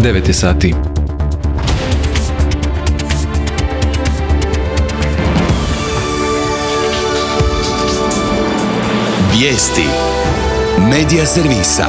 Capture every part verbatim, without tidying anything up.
devet je sati. Vijesti Medija servisa.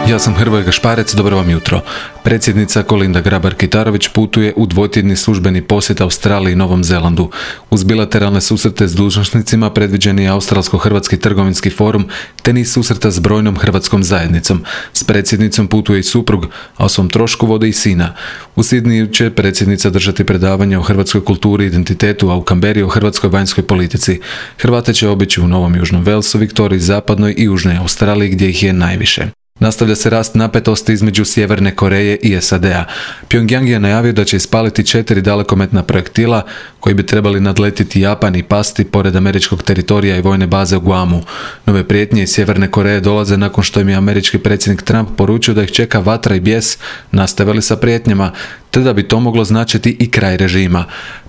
Ja sam Hrvoje Gašparec, dobro vam jutro. Predsjednica Kolinda Grabar-Kitarović putuje u dvotjedni službeni posjet Australiji i Novom Zelandu. Uz bilateralne susrete s dužnosnicima predviđen je Australsko-Hrvatski trgovinski forum, te niz susreta s brojnom hrvatskom zajednicom. S predsjednicom putuje i suprug, a o svom trošku vode i sina. U Sidniju će predsjednica držati predavanje o hrvatskoj kulturi i identitetu, a u Kamberi o hrvatskoj vanjskoj politici. Hrvate će obići u Novom Južnom Velsu, Viktoriji, Zapadnoj i Južnoj Australiji gdje ih je najviše. Nastavlja se rast napetosti između Sjeverne Koreje i S A D-a. Pyongyang je najavio da će ispaliti četiri dalekometna projektila koji bi trebali nadletiti Japan i pasti pored američkog teritorija i vojne baze u Guamu. Nove prijetnje iz Sjeverne Koreje dolaze nakon što im je američki predsjednik Trump poručio da ih čeka vatra i bijes, nastavili sa prijetnjama, te da bi to moglo značiti i kraj režima.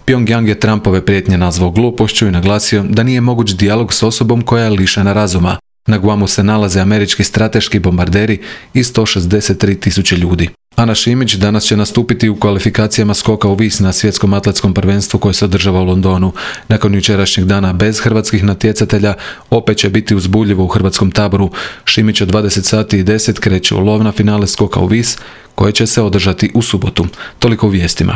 Pyongyang je Trumpove prijetnje nazvao glupošću i naglasio da nije moguć dijalog s osobom koja je lišena razuma. Na Guamu se nalaze američki strateški bombarderi i sto šezdeset tri tisuće ljudi. Ana Šimić danas će nastupiti u kvalifikacijama skoka u vis na svjetskom atletskom prvenstvu koje se održava u Londonu. Nakon jučerašnjeg dana bez hrvatskih natjecatelja opet će biti uzbudljivo u hrvatskom taboru. Šimić od dvadeset sati i deset kreće u lov na finale skoka u vis koje će se održati u subotu. Toliko u vijestima.